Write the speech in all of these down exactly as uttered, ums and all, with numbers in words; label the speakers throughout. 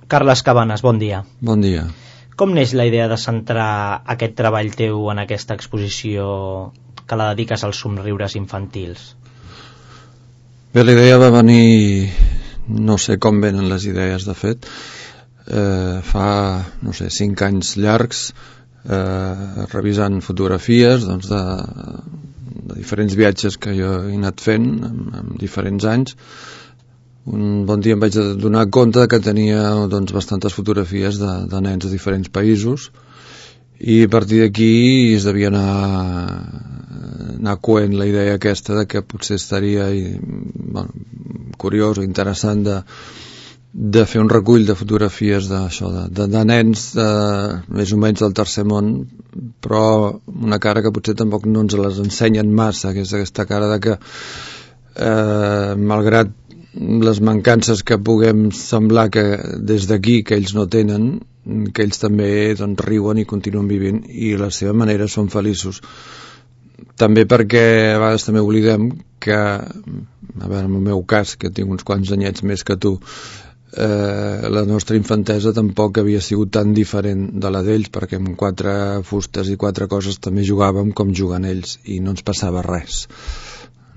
Speaker 1: Carles Cabanes, bon dia.
Speaker 2: Bon dia.
Speaker 1: Com neix la idea de centrar aquest treball teu en aquesta exposició que la dediques als somriures infantils?
Speaker 2: Bé, la idea va venir, no sé com venen les idees, de fet, eh, fa, no sé, cinc anys llargs, eh, revisant fotografies doncs, de, de diferents viatges que jo he anat fent en, en diferents anys. Un bon dia em vaig donar compte que tenia doncs, bastantes fotografies de, de nens de diferents països, i a partir d'aquí es devia anar, anar coent la idea aquesta de que potser estaria bueno, curiós o interessant de, de fer un recull de fotografies d'això, de, de, de nens de, més o menys del tercer món, però una cara que potser tampoc no ens les ensenyen massa, que és aquesta cara de que eh, malgrat les mancances que puguem semblar que des d'aquí que ells no tenen, que ells també doncs, riuen i continuen vivint i a la seva manera són feliços. També perquè a vegades també oblidem que, a veure, en el meu cas, que tinc uns quants anyets més que tu, eh, la nostra infantesa tampoc havia sigut tan diferent de la d'ells, perquè amb quatre fustes i quatre coses també jugàvem com juguen ells i no ens passava res.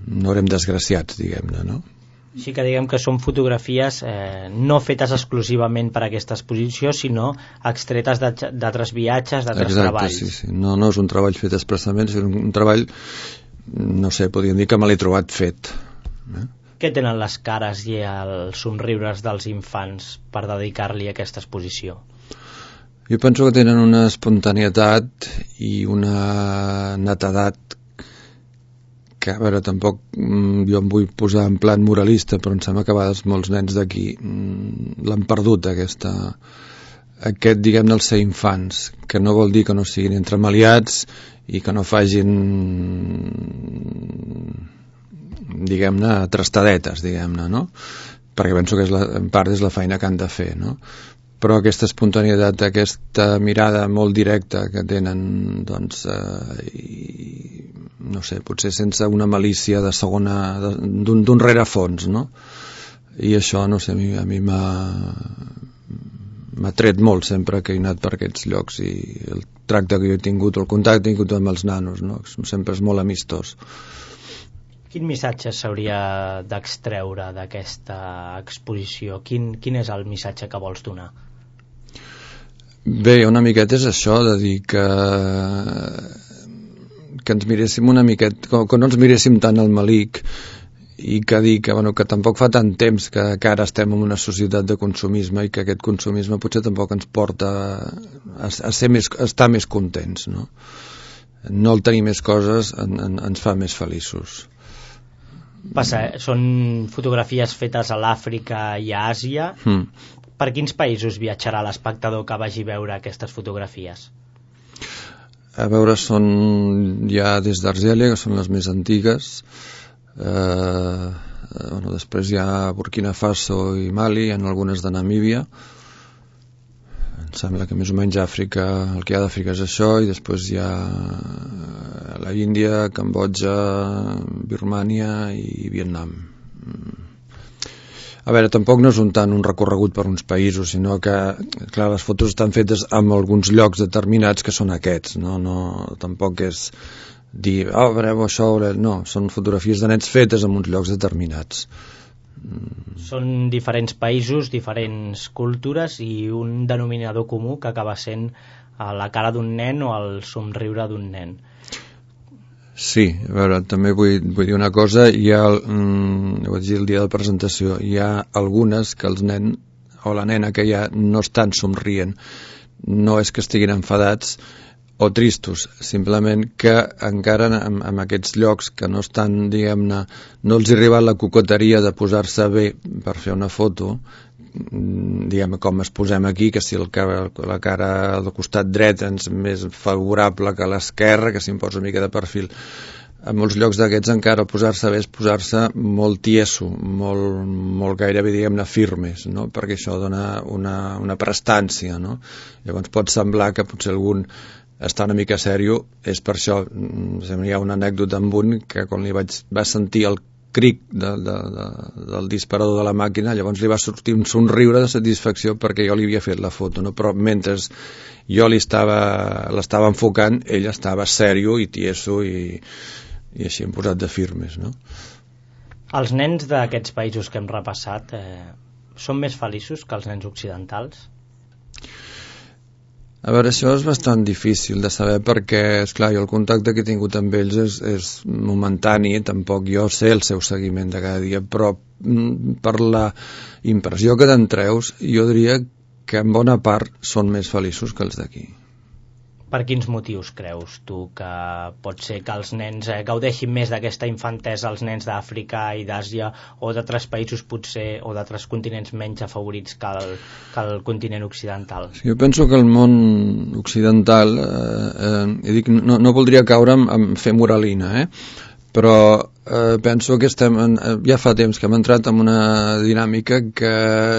Speaker 2: No érem desgraciats, diguem-ne, no?
Speaker 1: Així que diguem que són fotografies eh, no fetes exclusivament per a aquesta exposició, sinó extretes d'altres viatges, d'altres treballs.
Speaker 2: Sí, sí. No, no és un treball fet expressament, és un treball, no sé, podríem dir que me l'he trobat fet. Eh?
Speaker 1: Què tenen les cares i els somriures dels infants per dedicar-li a aquesta exposició?
Speaker 2: Jo penso que tenen una espontaneïtat i una netedat que, a veure, tampoc jo em vull posar en plan moralista, però em sembla que a vegades molts nens d'aquí l'han perdut, aquesta, aquest, diguem-ne, el ser infants, que no vol dir que no siguin entremaliats i que no facin, diguem-ne, trastadetes, diguem-ne, no? Perquè penso que és la, en part és la feina que han de fer, no? Però aquesta espontaneïtat, aquesta mirada molt directa que tenen, doncs, eh, i, no sé, potser sense una malícia de segona, d'un rerefons, no? I això, no sé, a mi, a mi m'ha m'ha tret molt sempre que he anat per aquests llocs, i el tracte que jo he tingut, el contacte que he tingut amb els nanos, no? Sempre és molt amistós.
Speaker 1: Quin missatge s'hauria d'extreure d'aquesta exposició? Quin, quin és el missatge que vols donar?
Speaker 2: Bé, una miqueta és això, de dir que que ens miréssim una miqueta, que no ens miréssim tant al malic, i que dir que, bueno, que tampoc fa tant temps que, que ara estem en una societat de consumisme i que aquest consumisme potser tampoc ens porta a, a, ser més, a estar més contents, no? No el tenir més coses en, en, ens fa més feliços.
Speaker 1: Passa, eh? Són fotografies fetes a l'Àfrica i a Àsia. Mm. Per quins països viatjarà l'espectador que vagi a veure aquestes fotografies?
Speaker 2: A veure, són ja des d'Argèlia, que són les més antigues, eh, bueno, després hi ha Burkina Faso i Mali, hi ha algunes de Namíbia. Em sembla que més o menys Àfrica, el que hi ha d'Àfrica és això, i després hi ha la Índia, Cambodja, Birmània i Vietnam. A veure, tampoc no és un tant un recorregut per uns països, sinó que, clar, les fotos estan fetes en alguns llocs determinats que són aquests, no? No, tampoc és dir, oh, veureu això, no, són fotografies de nens fetes en uns llocs determinats.
Speaker 1: Són diferents països, diferents cultures i un denominador comú que acaba sent la cara d'un nen o el somriure d'un nen.
Speaker 2: Sí, a veure, també vull, vull dir una cosa, hi ha, mm, ho vaig dir el dia de la presentació, hi ha algunes que els nen o la nena que hi ha no estan somrient, no és que estiguin enfadats o tristos, simplement que encara en, en aquests llocs que no estan, diguem-ne, no els ha arribat la coqueteria de posar-se bé per fer una foto, diguem com es posem aquí, que si el, la cara del costat dret és més favorable que l'esquerra, que si em posa una mica de perfil, en molts llocs d'aquests encara posar-se bé és posar-se molt tieso, molt, molt gairebé, diguem-ne, firmes, no? Perquè això dona una, una prestància, no? Llavors pot semblar que potser algun està una mica sèrio, és per això. Hi ha una anècdota amb un que quan li vaig, va sentir el cric de, de, de, del disparador de la màquina, llavors li va sortir un somriure de satisfacció perquè jo li havia fet la foto, no? Però mentre jo li estava, l'estava enfocant, ell estava sèrio i tieso i, i així hem posat de firmes, no?
Speaker 1: Els nens d'aquests països que hem repassat eh, són més feliços que els nens occidentals?
Speaker 2: A veure, això és bastant difícil de saber perquè, esclar, jo el contacte que he tingut amb ells és, és momentani, tampoc jo sé el seu seguiment de cada dia, però per la impressió que te'n treus, jo diria que en bona part són més feliços que els d'aquí.
Speaker 1: Per quins motius creus tu que pot ser que els nens eh, gaudeixin més d'aquesta infantesa, els nens d'Àfrica i d'Àsia, o d'altres països potser, o d'altres continents menys afavorits que el, que el continent occidental?
Speaker 2: Jo penso que el món occidental, eh, eh, dic, no, no voldria caure en, en fer moralina, eh? però eh, penso que estem en, ja fa temps que hem entrat en una dinàmica que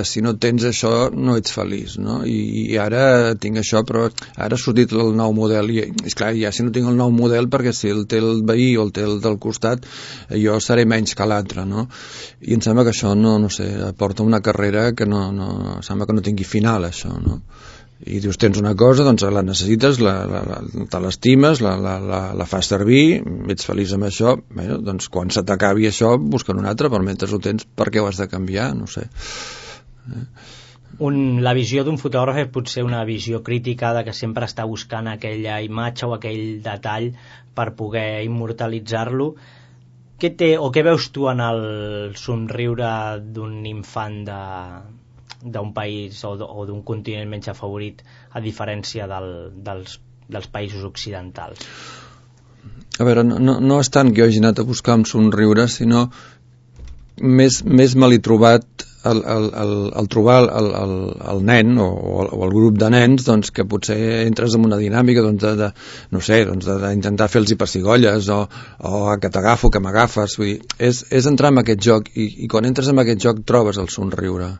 Speaker 2: si no tens això no ets feliç, no? I, i ara tinc això, però ara ha sortit el nou model i, és clar, ja si no tinc el nou model, perquè si el té el veí o el té el del costat, jo seré menys que l'altre, no? I em sembla que això no, no sé, porta una carrera que no, no, sembla que no tingui final, això, no? I dius, tens una cosa, doncs la necessites, la, la, la, te l'estimes, la, la, la, la fas servir, ets feliç amb això, bé, doncs quan se t'acabi això, busca'n un altre, però mentre ho tens, per què ho has de canviar? No sé.
Speaker 1: Un, la visió d'un fotògraf és potser una visió crítica de que sempre està buscant aquella imatge o aquell detall per poder immortalitzar-lo. Què té, o què veus tu en el somriure d'un infant de... d'un país o d'un continent menys afavorit a diferència del, dels, dels països occidentals?
Speaker 2: A veure, no, no és tant que jo hagi anat a buscar un somriure, sinó més, més me l'he trobat el, el, el, el trobar el, el, el nen o, o el grup de nens, doncs, que potser entres en una dinàmica doncs, de, de, no sé, doncs, d'intentar fer-los pessigolles o, o que t'agafo, que m'agafes, vull dir, és, és entrar en aquest joc i, i quan entres en aquest joc trobes el somriure.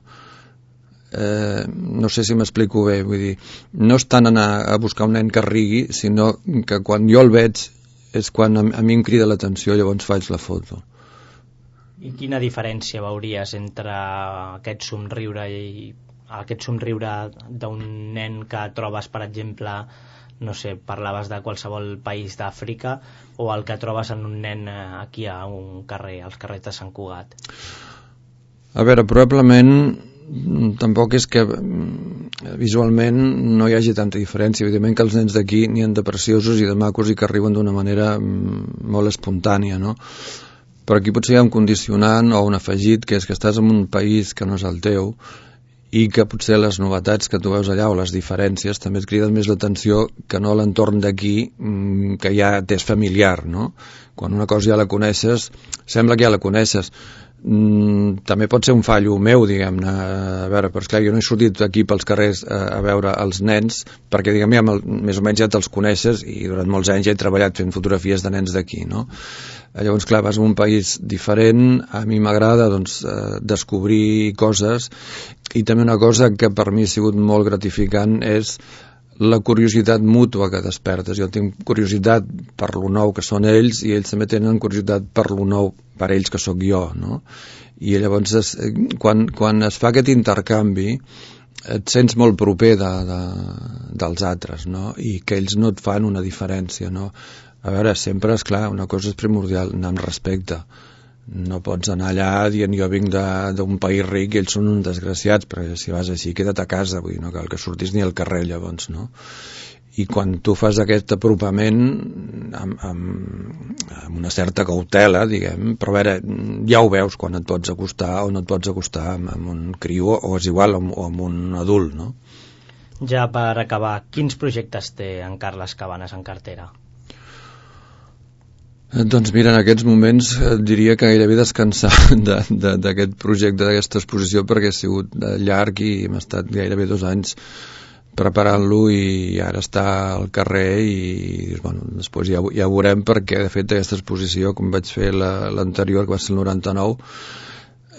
Speaker 2: Eh, no sé si m'explico bé, vull dir, no és tant anar a buscar un nen que rigui, sinó que quan jo el veig és quan a, a mi em crida l'atenció, llavors faig la foto.
Speaker 1: I quina diferència veuries entre aquest somriure i aquest somriure d'un nen que trobes, per exemple, no sé, parlaves de qualsevol país d'Àfrica, o el que trobes en un nen aquí a un carrer, als carrers de Sant Cugat?
Speaker 2: A veure, probablement tampoc és que visualment no hi hagi tanta diferència. Evidentment que els nens d'aquí n'hi ha de preciosos i de macos i que arriben d'una manera molt espontània, no? Però aquí potser hi ha un condicionant o un afegit, que és que estàs en un país que no és el teu i que potser les novetats que tu veus allà o les diferències també et criden més l'atenció que no l'entorn d'aquí, que ja t'és familiar, no? Quan una cosa ja la coneixes, sembla que ja la coneixes. Mm, també pot ser un fallo meu, diguem-ne, a veure, però esclar, jo no he sortit aquí pels carrers a, a veure els nens perquè, diguem, ja, més o menys ja te'ls coneixes i durant molts anys ja he treballat fent fotografies de nens d'aquí, no? Llavors, clar, vas a un país diferent, a mi m'agrada, doncs, eh, descobrir coses, i també una cosa que per mi ha sigut molt gratificant és la curiositat mútua que despertes. Jo tinc curiositat per lo nou que són ells i ells també tenen curiositat per lo nou per ells que sóc jo, no? I llavors es, quan, quan es fa aquest intercanvi et sents molt proper de, de, dels altres, no? I que ells no et fan una diferència, no? A veure, sempre, és clar, una cosa és primordial, anar amb respecte. No pots anar allà dient jo vinc d'un país ric i ells són uns desgraciats, perquè si vas així queda't a casa, vull dir, no cal que surtis ni al carrer llavors, no? I quan tu fas aquest apropament amb, amb, amb una certa cautela, diguem, però a veure, ja ho veus quan et pots acostar o no et pots acostar amb, amb un criu o és igual o amb un adult, no?
Speaker 1: Ja per acabar, quins projectes té en Carles Cabanes en cartera?
Speaker 2: Doncs mira, en aquests moments diria que gairebé descansar d'aquest projecte, d'aquesta exposició, perquè ha sigut llarg i hem estat gairebé dos anys preparant-lo i ara està al carrer i bueno, després ja, ja ho veurem, perquè de fet aquesta exposició, com vaig fer l'anterior, que va ser el noranta-nou,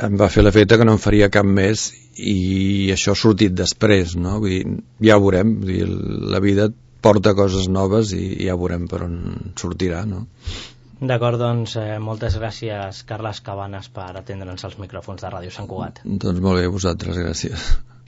Speaker 2: em va fer l'efecte que no en faria cap més i això ha sortit després, no? Vull dir, ja ho veurem, vull dir, la vida porta coses noves i ja veurem per on sortirà, no?
Speaker 1: D'acord, doncs eh, moltes gràcies, Carles Cabanes, per atendre'ns als micròfons de Ràdio Sant Cugat.
Speaker 2: Doncs molt bé, vosaltres, gràcies.